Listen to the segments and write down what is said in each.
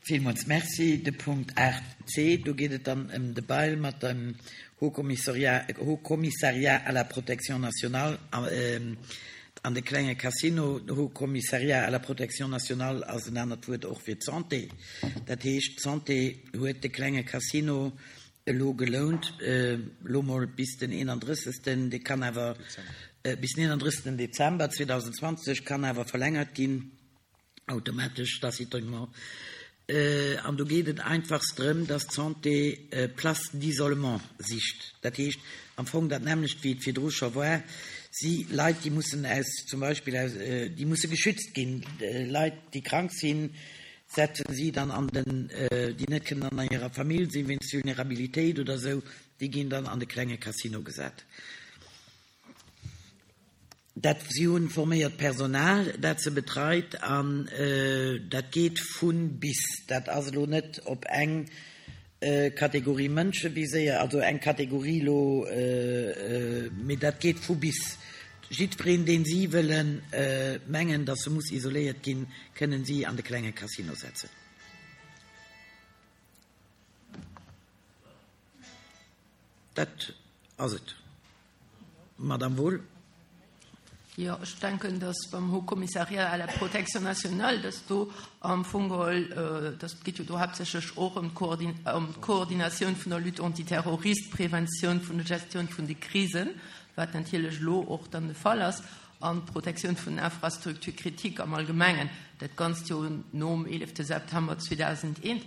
Villmools Merci. De Punkt 8 c, do geet et dann ëm de Bail mat dem Haut Commissariat, Haut Commissariat à la protection nationale an de klenge Casino. Haut Commissariat à la protection nationale ass en anert Wuert och fir d'Santé. Dat heescht, d'Santé huet de klenge Casino elo gelount, elo mol bis den 31. Dee kann awer bis den 31. Dezember 2020, kann awer verlängert ginn. Automatesch, tacitement. An do geet et einfachst drëm, dass d'Santé Places d'isolement sicht. Dat heescht am Fong dat nämmlecht, wéi et virdru scho war. Si Leit, déi mussen aus, zum Beispill aus, déi musse geschützt ginn, Leit, déi krank sinn, setzen si dann an den, déi net kënnen an hirer Famill sinn, wéinst Vulnerabilitéit oder esou, déi ginn dann an de klenge Casino gesat. Dat si hunn forméiert Personal, dat se betreit, an dat geet vu bis. Dat ass elo net op eng Kategorie Mënsche viséiert, also eng Kategorie elo, mee dat geet vu bis. Jiddwereen, deen si wëllen mengen, datt e muss isoléiert ginn, kënnen si an de klenge Casino setzen. Dat ass et, Madame Wohl. Jo, ech denken, dass beim Haut Commissariat à la protection nationale, dass do am Fong geholl, dass et geet jo do haaptsächlech och ëm d'Koordinatioun vun der Lutte antiterroriste, d'Preventioun vun der Gestioun vun de Krisen, wat natierlech elo och dann de Fall ass, an d'Protektioun vun den Infrastructures critiques am Allgemengen, dat Ganzt jo nom 11 September 2001.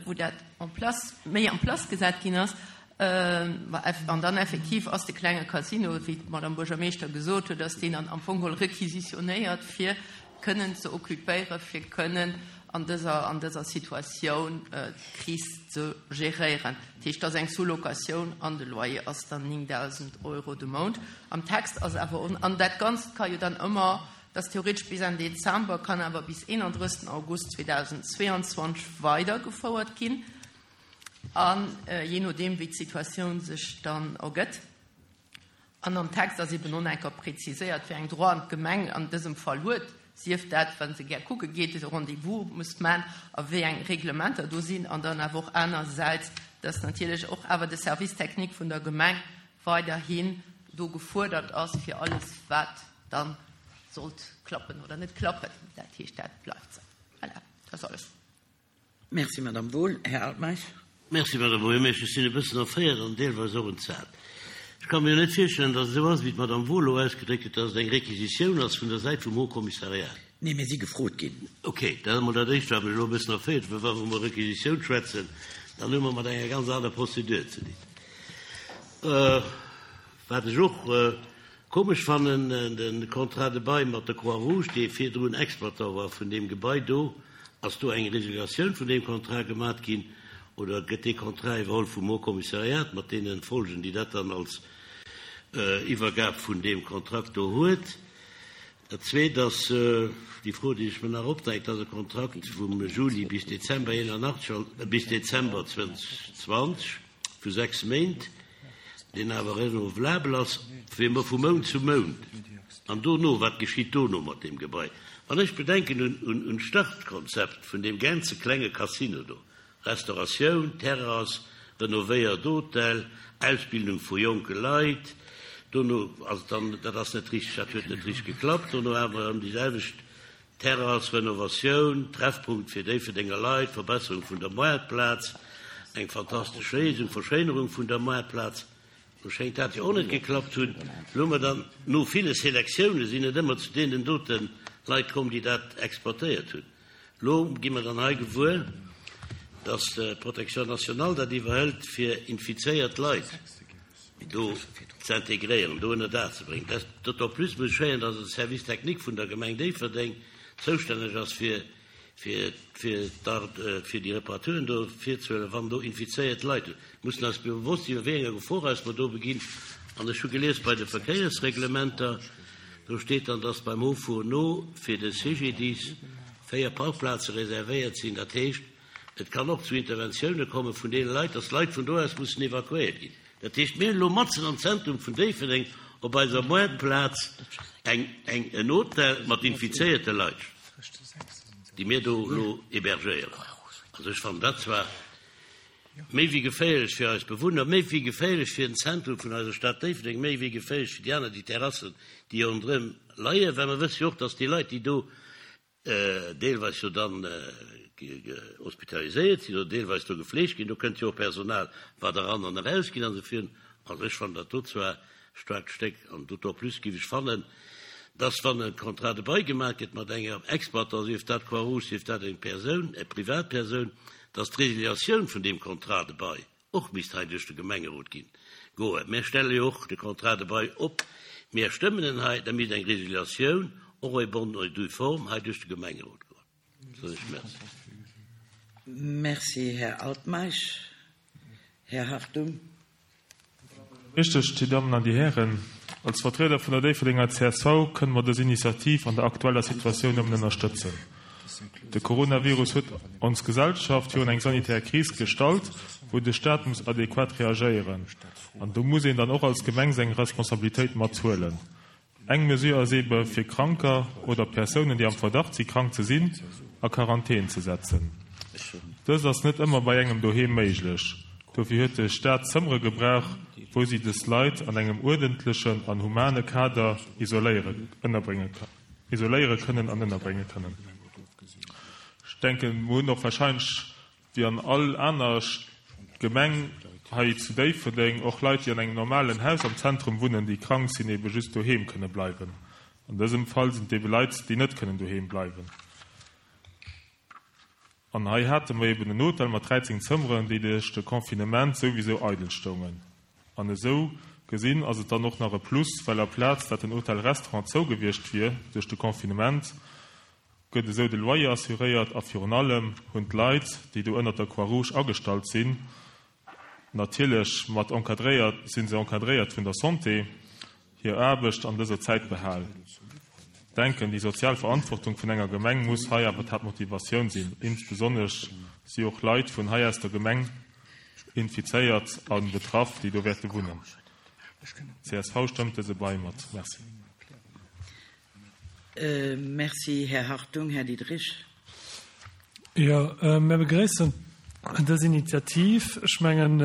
wou dat en place, méi en place gesat ginn ass, an dann effektiv ass de klenge Casino, wéi d'Madame Buergermeeschter gesot huet, ass deen dann am Fong geholl requisitionéiert, fir kënnen ze occupéieren, fir kënnen an dëser, an dëser Situatioun d'Kris ze geréieren. Dat heescht, et ass eng Sous-locatioun an de Loyer ass dann 9.000 Euro de Mount. Am Text ass awer, an dat Ganzt ka jo dann ëmmer Dat ass theoretesch bis Enn Dezember, kann awer bis 31 August 2022 weidergefouert ginn, a jee nodeem wéi d'Situatioun sech dann ergëtt. An am Text ass eben och nach eng Kéier preziséiert, wéi eng Droiten d'Gemeng an dësem Fall huet, sief dat, wa se gär kucke geet, e Rendez-vous muss man a wéi eng Reglementer do sinn, an dann awer och anersäits, dass natierlech och awer de Service technique vun der Gemeng weiderhin do gefuerdert ass fir alles, wat dann sollt klappen oder net klappen. Dat heescht, dat bleift esou. Voilà, dat ass alles. Merci, Madame Wohl. Här Altmeisch. Merci, Madame Buergermeeschter. Ech sinn e bëssen erféiert an deelweis och entsat. Ech ka mir jo net virstellen, datt et esou ass, wéi d'Madame Wohl elo ausgedréckt huet, datt et eng Requisitioun ass vun der Säit vum Haut Commissariat. Nee, mir si gefrot ginn. Okay, dat ass emol dat Éischt, wat mech elo e bëssen erféiert, well wa mer iwwer Requisitioun schwätzen, dann hu mer mat enger ganz aner Procédure ze dinn. Wat ech och Komesch fannen, de Contrat de bail mat der Croix Rouge, dee virdrun Exploitant war vun deem Gebai do, ass do eng Résiliatioun vun deem Contrat gemat ginn oder gëtt dee Contrat iwwerholl vum Haut Commissariat mat deene Folgen, déi dat dann als Iwwergab vun deem Kontrakt do huet? Dat Zweet ass déi Fro, déi sech mir nach opdrängt, ass e Kontrakt vum Juli bis Dezember 81, bis Dezember 2020, vu 6 Méint, deen awer renouvelabel ass fir vu Mount zu Mount. An dono, wat geschitt dono mat deem Gebai? Wann ech bedenken un d'Startkonzept vun deem ganze klenge Casino do, Restauratioun, Terrass, renovéiert Hotel, Ausbildung vu jonke Leit, dono ass et dann, dat ass net richteg, dat huet net richteg geklappt, dono awer erëm déi selwecht Terrass, Renovatioun, Treffpunkt fir Déifferdenger Leit, Verbesserung vun der Moartplaz, eng fantastesch Léisung, Verschéinerung vun der Moartplaz. Lo schéngt dat jo och net geklappt hunn. Lo hu mer dann, no ville Selektioune sinn et ëmmer zu deenen dote Leit komm, déi dat exploitéiert hunn. Lo gi mer dann hei gewuer, dass d'Protection nationale dat iwwerhëlt, fir infizéiert Leit do z'integréieren, do ënner Daach ze bréngen. Dat d'autant plus muss ech héieren, dass de Service technique vun der Gemeng Déifferdeng zoustänneg ass, fir, fir, fir fir déi Reparaturen do virzehuelen, wann do infizéiert Leit hunn. Mir mussen eis bewosst sinn, a wéi enger Gefor eis mer do beginn. An ech hu gelies bei de Verkéiersreglementer, do steet dann, dass beim Haut Fourneau fir de CGDIS 4 Parkplaze reservéiert sinn. Dat heescht, et kann och zu Interventioune komme vun deene Leit, dass Leit vun do aus mussen evakuéiert ginn. Dat heescht, mir hunn elo matzen am Zentrum vun Déifferdeng op eiser Moartplaz eng, eng, en Hotel mat infizéierte Leit. déi mir do elo hébergéieren. Also ech fannen dat zwar méi wéi geféierlech fir eis Bewunner, méi wéi geféierlech fir den Zentrum vun eiser Stad Déifferdeng, méi wéi geféierlech fir déi aner, déi Terrassen, déi ronderëm leien, well mer wësse jo och, dass déi Leit, déi do deelweis jo dann hospitaliséiert sinn oder deelweis do gefleegt ginn, do kënnt jo och Personal, wat eran an eraus geet an esou virun. Also ech fannen dat do zwar staarkt Stéck an d'autant plus géif ech fannen, dass wann e Contrat de bail gemaach gëtt mat enger Exploitant, sief dat d'Croix-Rouge, sief dat eng Persoun, eng Privatpersoun, dass d'Résiliatioun vun deem Contrat de bail och misst hei duerch de Gemengerot ginn, goen. Mär stelle jo och de Contrat de bail op, mär stëmmen en hei, da misst eng Résiliatioun och en bonne et due forme hei duerch de Gemengerot goen. Soen ech Merci. Merci, Här Altmeisch. Här Hartung. Richteg, Dir Dammen an Dir Hären, als Vertrieder vun der Déifferdenger csv kënne mer dës Initiativ an der aktueller Situatioun nëmmen ënnerstëtzen. De Coronavirus huet ons Gesellschaft virun eng sanitär Kris gestallt, wou de Staat muss adequat reagéieren. An do muss een dann och als Gemeng seng Responsabilitéit mathuelen. Eng Mesure ass eebe fir Kranker oder Persounen, déi am Verdacht si krank ze sinn, a Quarantän ze setzen. Dëst ass net ëmmer bei engem doheem méiglech. Dofir huet de Staat Zëmmere gebrauch, wou si des Leit an engem uerdentlechen an humane Kader isoléiere kënnen an ënnerbrénge kënnen. Ech denken, mer hunn och warscheinlech Wéi an all aner Gemeng hei zu Déifferdeng och Leit, déi an engem normalen Haus am Zentrum wunnen, déi krank sinn, ebe just doheem kënne bleiwen. An dësem Fall sinn et ebe Leit, déi net kënnen doheem bleiwen. An hei hate mer eben en Hotel mat 13 Zëmmeren, déi duerch de Confinement souwisou eidel stoungen. An esou gesinn ass et dann och nach e Plus, well aplaz dat den Hotel-Restaurant zou gewiescht wier duerch de Confinement, gëtt esou de Loyer assuréiert a virun allem hunn d'Leit, déi do ënnert der Croix-Rouge agestallt sinn, natierlech mat encadréiert, si se encadréiert vun der Santé, hir Aarbecht an dëser Zäit behal. Denken, déi sozial Verantwortung vun enger Gemeng muss hei awer d'Haaptmotivatioun sinn, insbesonnesch si och Leit vun hei aus der Gemeng infizéiert a betraff, déi do wäerte wunnen. Csv stëmmt dëse Bail mat. Merci. Merci, Här Hartung. Här Diderich. Jo, mir begréissen dës Initiativ. Ech mengen,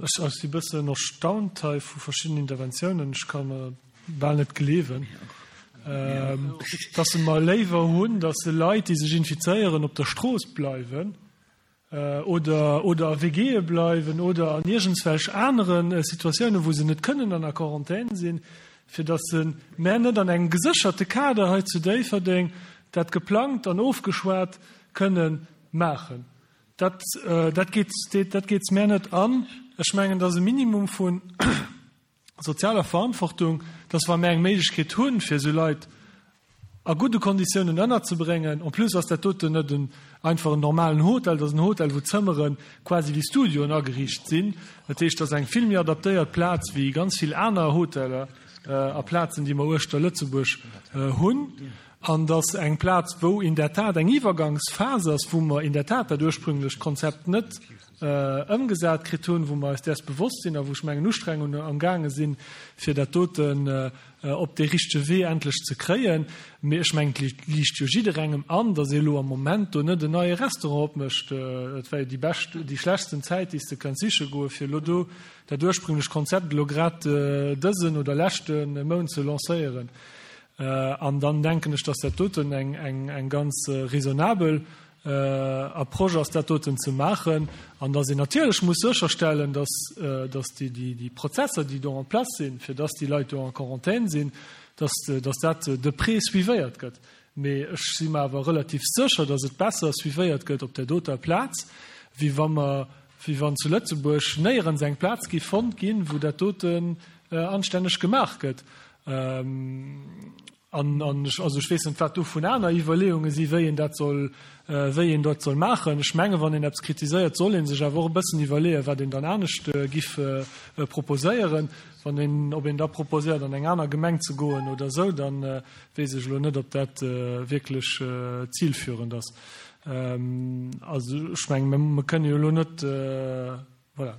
ech si e bëssen erstaunt hei vu verschiddenen Interventiounen. Ech ka mer bal net gleewen, dass se mer léiwer hunn, dass se Leit, déi sech infizéieren, op der Strooss bleiwen, oder oder a WGe bleiwen oder an iergendswelch anere Situatiounen, wou se net kënnen an der Quarantän sinn, fir datt se mä net an engem gesécherte Kader hei zu Déifferdeng dat geplangt an ofgeschwat kënne maachen. Dat dat geet dat geet mär net an. Ech mengen, datt e Minimum vu sozialer Verantwortung, dass wa mir eng Méiglechkeet hunn, fir esou Leit a gudde Konditiounen ënnerzebréngen, en plus ass dat doten net en einfach en normalen Hotel, dat ass en Hotel, wou d'Zëmmere quasi wéi Studioen ageriicht sinn, dat heescht, dat ass eng vill méi adaptéiert Plaz wéi ganz vill aner Hoteller a Plazen, déi mer uechter Lëtzebuerg hunn, an dass eng Plaz, wou in der Tat eng Iwwergangsphas ass, wou mer in der Tat dat ursprünglecht Konzept net ëmgesat kritt hunn, wou mer eis däers bewosst sinn a wou ech mengen Ustrengungen amgaange sinn, fir dat doten op dee richtege Wee endlech ze kréien. Mee ech mengen, et liicht jo jidderengem an, datt ee elo am Moment do net en neie Restaurant opmécht. Dat wär jo déi bescht, déi schlechtsten Zäit, déi s de kënns siche goen, fir elo do dat ursprünglech Konzept elo grad dësen oder leschte Mount ze lancéieren. An dann denken ech, datt dat doten eng ganz raisonnabel Approche ass, dat doten ze maachen, an datt een natierlech muss sécherstellen, datt, datt déi Prozesser, déi do en place sinn, fir datt déi Leit do en Quarantaine sinn, datt, datt dat de près suivéiert gëtt. Mee ech si mer awer relativ sécher, datt et besser suivéiert gëtt op där doter Plaz, wéi wa mer, wéi wann zu Lëtzebuerg néierens eng Plaz géif fonnt ginn, wou dat doten anstänneg gemaach gëtt. An, an ech, also ech weess net, wat dovun aner Iwwerleeunge si wéi een dat soll, wéi een dat soll maachen. Ech menge wann een eppes kritiséiert, soll ee sech awer och e bëssen iwwerleeën, wat een dann anescht giff proposéieren. Wann een, ob een da proposéiert an eng aner Gemeng ze goen oder esou, da weess ech elo net, ob dat wierklech zilführend ass. Also ech menge mer kënne jo elo net, Voilà.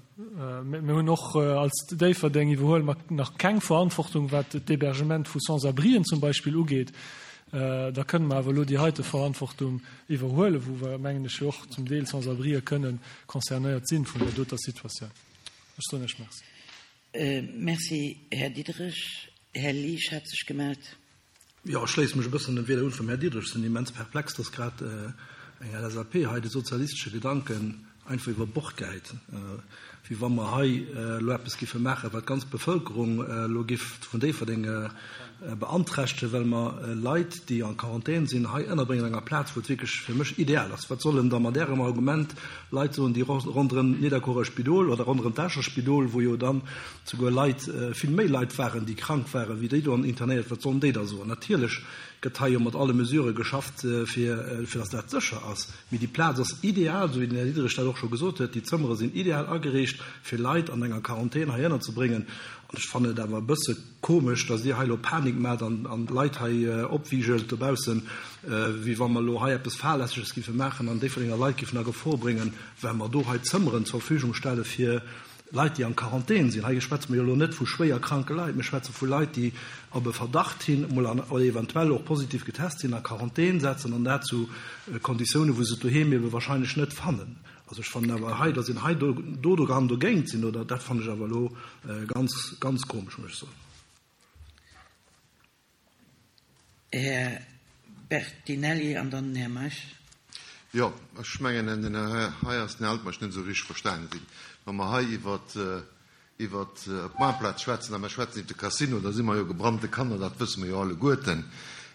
Mir hunn och als Déifferdeng iwwerhuele mer nach keng Verantwortung, wat d'Hébergement vu Sans-abrien zum Beispill ugeet. Da kënne mer awer elo déi heite Verantwortung iwwerhuelen, wou mer, mengen ech, jo och zum Deel Sans-abrië kënnen concernéiert sinn vun där doter Situatioun. Ech soen Iech Merci. Merci, Här Diderich. Här Liesch hat sech gemellt. Jo, ech schléisse mech e bëssen dem Wieder un vum Här Diderich. Ech sinn immens perplex, dass grad eng LSAP hei de sozialistesche Gedanken einfach iwwer Bord gehäit, wéi wa mer hei elo eppes giffe maachen, wat d'ganz Bevëlkerung elo giff vun Déifferdeng beanträchtegen, well mer Leit, déi en Quarantän sinn, hei ënnerbréngen an enger Plaz, wou et wierklech fir mech ideal ass. Wat sollen da mat Ärem Argument Leit soen, déi ronderëm d'Nidderkuerer Spidol oder ronderëm d'Escher Spidol, wou jo dann souguer Leit, vill méi Leit waren, déi krank waren, wéi déi do internéiert, wat sollen déi da soen? Natierlech gëtt hei jo mat alle Mesurë geschafft, fir fir datt dat sécher ass. Mee déi Plaz ass ideal, esou wéi den Här Diderich dat och scho gesot huet. Déi Zëmmere sinn ideal ageriicht, fir Leit an enger Quarantän hei ënnerzebréngen. An ech fannen et awer e bësse komesch, datt Dir hei elo Panik maacht an d'Leit hei opwigelt dobaussen, wéi wa mer elo hei eppes Fahrlässeges giffe maachen an Déifferdenger Leit giffen a Gefor bréngen, well mer do hei Zëmmeren zur Verfügung stelle fir Leit, déi an Quarantän sinn. Hei schwätze mer jo elo net vu schwéier kranke Leit, mir schwätze vu Leit, déi op e Verdacht hin emol an oder eventuell och positiv getest sinn, a Quarantän setzen an dat zu Konditiounen, wou se et doheem ebe wahrscheinlech net fannen. Also ech fannen awer hei, datt een hei do do kann dogéint sinn, oder dat fannen ech awer elo ganz, ganz komesch, muss ech soen. Här Bertinelli an dann den Här Meisch. Jo, ech mengen, den Här hei ass den Här Altmeisch net esou richteg verstanen ginn. Wa mer hei iwwert iwwer d'Maartplaz schwätzen a mer schwätzen iwwer de Casino, da si mer jo gebrannte Kanner, dat wësse mer jo alleguerten.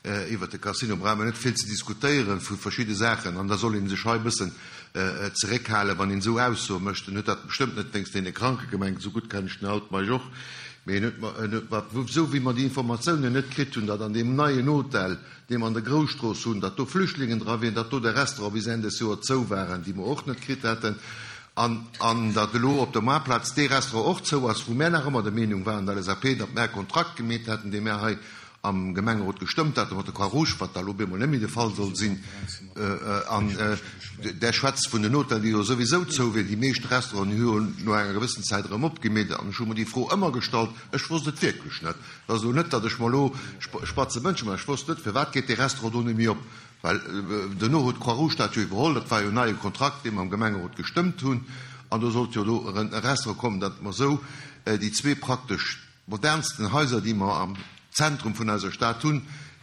Iwwer de Casino brauche mer net vill ze diskutéieren vu verschidde Saachen an da soll ee sech hei e bëssen zeréckhalen, wann een esou Aussoe mécht. En huet dat bestëmmt net wéinst deene Kranke gemengt, esou gutt kennen ech den Altmeisch och, mee en huet mer, esou wéi mer déi Informatiounen net kritt hunn, datt an deem neien Hotel, dee mer an der Grousstrooss hunn, datt do Flüchtlingen dra wieren, datt do de Restaurant bis Enn des Joer zou waren, déi mer och net kritt haten, an an datt elo op der Moartplaz dee Restaurant och zou ass, wou mär nach ëmmer der Meenung waren, der LSAP, datt mär e Kontrakt gemeet hätten, dee mär hei am Gemengerot gestëmmt haten mat der Croix-Rouge, wat da elo op eemol net méi de Fall soll sinn. An Der schwätzt vun den Hotellen, déi jo souwisou zou wieren. Déi meescht Restauranten hu jo no enger gewëssen Zäit erëm opgemeet. An ech hu mer déi Fro ëmmer gestallt, ech wosst et wierklech net. Et ass elo net, datt ech mer elo spatze Mënsche maachen. Ech wosst net, firwat geet dee Restaurant do net méi op. Well duerno huet d'Croix-Rouge dat jo iwwerholl. Dat war jo en neie Kontrakt, dee mer am Gemengerot gestëmmt hunn. An do sollt jo elo erëm e Restaurant kommen, datt mer esou déi zwee praktesch modernsten Haiser, déi mer am Zentrum vun eiser Stad hunn,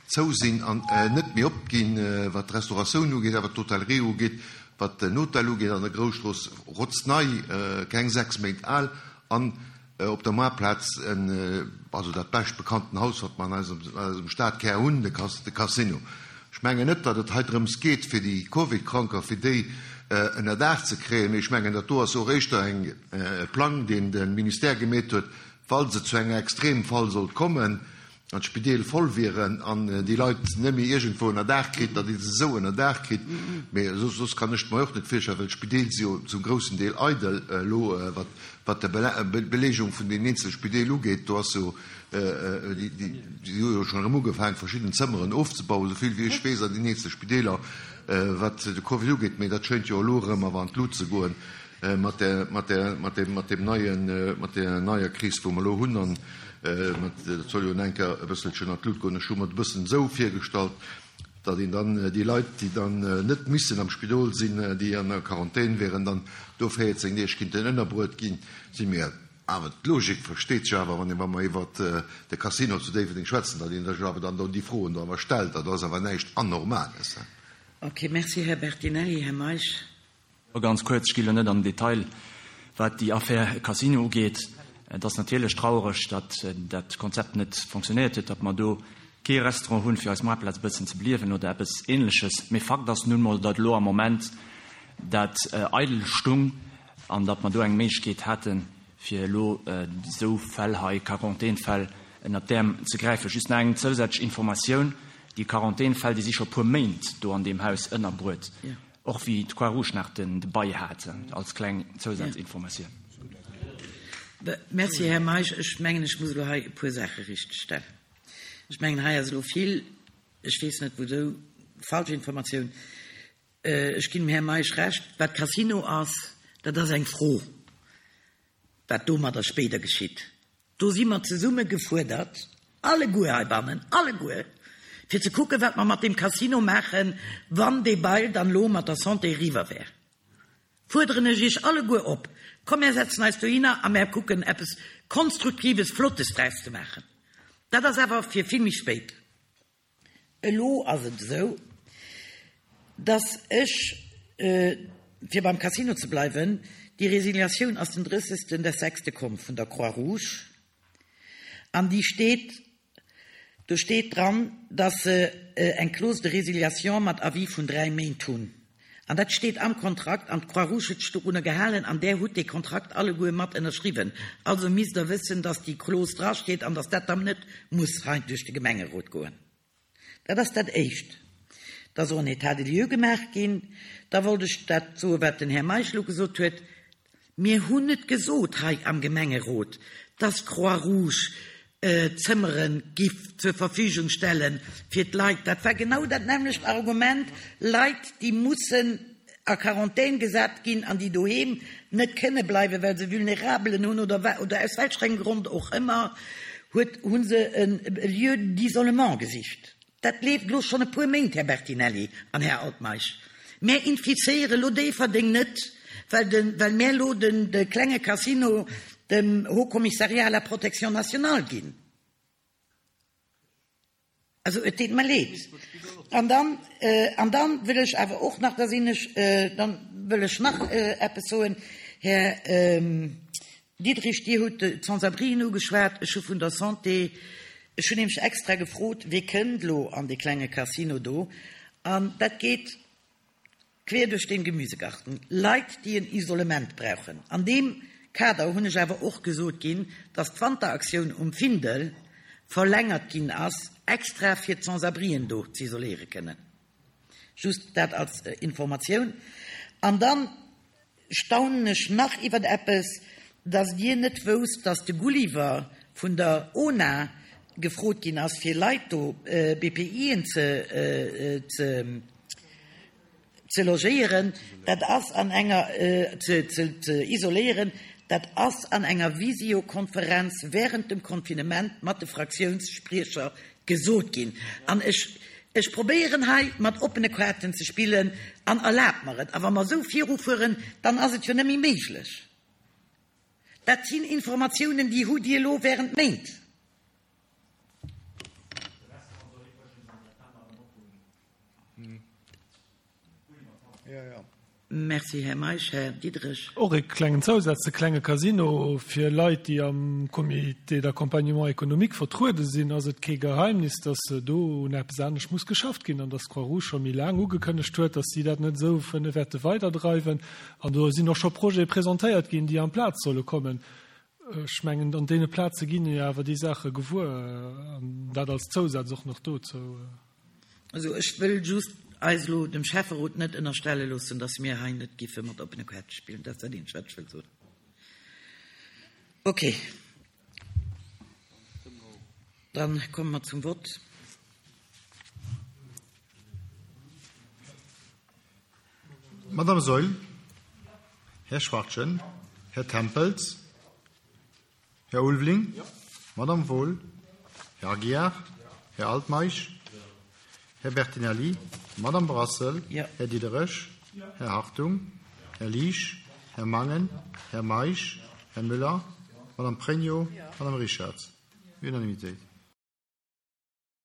zou sinn an net méi opginn, wat d'Restauratioun ugeet, a wat d'Hotellerie ugeet, wat den Hotel ugeet an der Grousstrooss, rotznei, keng 6 Méint al, an Op der Moartplaz, also dat bescht bekannten Haus, wat mer an eisem Stadkär hunn, de Casino. Ech mengen net, datt et hei drëms geet, fir déi Covid-Kranker, fir déi ënnerdaach ze kréien, mee ech mengen, dat do ass och éischter e Plang, deen de Ministère gemeet huet, falls et zu engem Extremfall sollt kommen, an d'Spideel voll wieren an déi Leit net méi iergendwou ënnerdaach kritt, datt ee se esou ënnerdaach kritt. Mee soss kann ech et mer och net virstellen, well d'Spideel si jo zum groussen Deel eidel elo, wat wat d'Beleegung vun deenen eenzele Spideel ugeet. Do ass jo, déi hu jo schonn erëm ugefaangen, verschidden Zëmmeren ofzebauen, esou vill wéi ech weess, an deenen eenzele Spideeler, wat de Covid ugeet. Mee dat schéint jo elo erëm awer an d'Lut ze goen mat där, mat där, mat deem, mat deem neien, mat där neier Kris, wou mer elo hunn. An dat soll jo en enker e bësselchen an d'Lut goen. Ech hu mer et e bëssen esou virgestallt, datt een dann déi Leit, déi dann net missen am Spidol sinn, déi an der Quarantän wieren, dann do 14 Deeg kinnten ënnerbruet ginn. Si mir awer, d'Logik versteet sech awer, wann ee, wa mer iwwert de Casino zu Déifferdeng schwätzen, datt een sech awer dann do déi Froen do awer stellt. Dat ass awer näischt Anormales. Okay, merci, Här Bertinelli. Här Meisch. Ganz kuerz, ech gi elo net an den Detail, wat déi Affär Casino ugeet. Et ass natierlech trauereg, datt dat Konzept net fonctionnéiert huet, datt mer do kee Restaurant hunn, fir eis Moartplaz e bëssen ze beliewen oder eppes Ähnleches. Mee Fakt ass nun emol, datt elo am Moment dat eidel stung an datt mer do eng Méiglechkeet haten, fir elo esou Fäll hei, Quarantänfäll, ënnert d'Äerm ze gräifen. Just nach eng zousätzlech Informatioun, Déi Quarantänfäll, déi si scho e puer Méint do an deem Haus ënnerbruet. Och wéi d'Croix Rouge nach den Bail hat, als kleng Zousazinformatioun. Merci, Här Meisch. Ech mengen, ech muss elo hei e puer Saache richtegstellen. Ech mengen, hei ass elo vill, ech weess net wouzou, falsch Informatioun. Ech ginn dem Här Meisch Recht, wat Casino ass, dat ass eng Fro, wat domadder spéider geschitt. Do si mer zesumme gefuerdert, alleguer heibannen, alleguer, fir ze kucken, wat mer mat deem Casino maachen, wann dee Bail dann elo mat der Santé eriwwer wär. Fuerderen ech Iech alleguer op, Komm, mär setzen eis dohinner a mär kucken, eppes Konstruktives, Flottes draus ze maachen. Dat ass awer fir vill méi spéit. Elo ass et esou, dass ech, fir beim Casino ze bleiwen, déi Resiliatioun ass den 30. des sechste komm vun der Croix-Rouge an déi steet, do steet dran, dass se eng Clause de résiliation mat Avis vun 3 Méint hunn. An dat steet am Kontrakt an d'Croix-Rouge huet sech dorunner gehalen an där hutt dee Kontrakt alleguer mat ënnerschriwwen. Also misst Der wëssen, dass déi Clause drasteet an dass dat dann net muss hei duerch de Gemengerot goen. Dat ass dat Éischt. Da soll en État des lieux gemaach ginn. Da wollt ech dat soen, wat den Här Meisch elo gesot huet. Mir hunn net gesot hei am Gemengerot, dass d'Croix-Rouge Zëmmere giff zur Verfügung stelle fir d'Leit. Dat war genau dat nämmlecht Argument, Leit, déi mussen a Quarantän gesat ginn an déi doheem net kënne bleiwen, well se Vulnerabelen hunn oder oder aus welch engem Grond och ëmmer, huet hu se e Lieu d'isolement gesicht. Dat leeft elo schonn e puer Méint, Här Bertinelli an Här Altmeisch. Mär infizéiere lo Déifferdeng net, well de well mär lo den de klenge Casino dem Haut Commissariat à la protection nationale ginn. Also et deet mer leed. An dann, an dann wëll ech awer och nach, da sinn ech, dann wëll ech nach eppes soen, Här Diderich, Dir hutt d'Sans-abrien ugeschwat. Ech hu vun der Santé, ech hunn nämlech extra gefrot, Wie kënnt elo an dee klenge Casino do? An dat geet quer duerch den Gemüsegarten, Leit, déi en Isolement brauchen. An deem Kader hunn ech awer och gesot ginn, dass d'Wanteraktioun um Findel verlängert ginn ass, extra fir d'Sans-abrien do z'isoléiere kënnen. Just dat als Informatioun. An dann staunen ech nach iwwert eppes, dass Dir net wousst, dass de Gulliver vun der ONA gefrot ginn ass, fir Leit do, BPIen ze, ze, ze logéieren, dat ass an enger, ze, ze, ze isoléieren, dat ass an enger Visiokonferenz während dem Confinement mat de Fraktiounsspriecher gesot ginn. An ech, ech probéieren hei mat oppene Kaarten ze spillen an erlaabt mer et. A wa mer esou virufueren, dann ass et jo net méi méiglech. Dat sinn Informatiounen, déi hutt Dir elo während Méint. Merci, Här Meisch. Här Diderich. Och e klengen Zousaz, De klenge Casino, fir Leit, déi am Comité d'accompagnement économique vertruede sinn, ass et kee Geheimnis, dass do un eppes anescht muss geschafft ginn an dass d'Croix-Rouge scho méi laang ugekënnegt huet, dass si dat net esou wënne wäerte weiderdreiwen. An do sinn och scho Projete presentéiert ginn, déi amplaz solle kommen. Ech mengen, an deene Plaze ginn jo awer déi Saache gewuer, an dat als Zousaz och nach dozou. Also ech wëll just eis elo dem Schäfferot net ënnerstelle loossen, dass mir hei net giffe mat oppene Kaarte spillen. Dat ass dat eenzegt, wat ech wëll soen. Okay. Dann komme mer zum Vott. Madame Saeul, Här Schwachtgen, Här Tempels, Här Ulveling, Madame Wohl, Här Aguiar, Här Altmeisch, Här Bertinelli, Madame Brassel, Här Diderich, Här Hartung, Här Liesch, Här Mangen, Här Meisch, Här Müller, Madame Pregno, Madame Richarz. Unanimitéit.